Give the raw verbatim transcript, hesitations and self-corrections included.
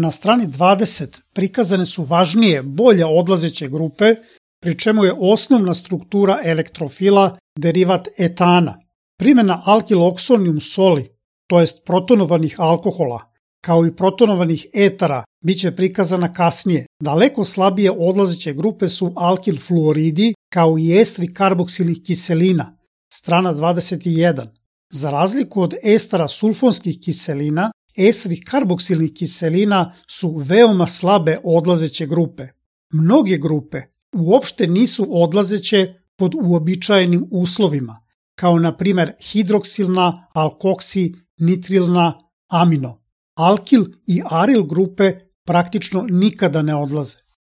Na strani dvadeset prikazane su važnije, bolje odlazeće grupe, pri čemu je osnovna struktura elektrofila derivat etana. Primjena alkiloksonium soli, to jest protonovanih alkohola, kao i protonovanih etara, bit će prikazana kasnije. Daleko slabije odlazeće grupe su alkil fluoridi, kao i estri karboksilnih kiselina, strana dvadeset jedan. Za razliku od estara sulfonskih kiselina, estri karboksilnih kiselina su veoma slabe odlazeće grupe. Mnoge grupe uopšte nisu odlazeće pod uobičajenim uslovima, kao na primer hidroksilna, alkoksi, nitrilna, amino. Alkil i aril grupe praktično nikada ne odlaze.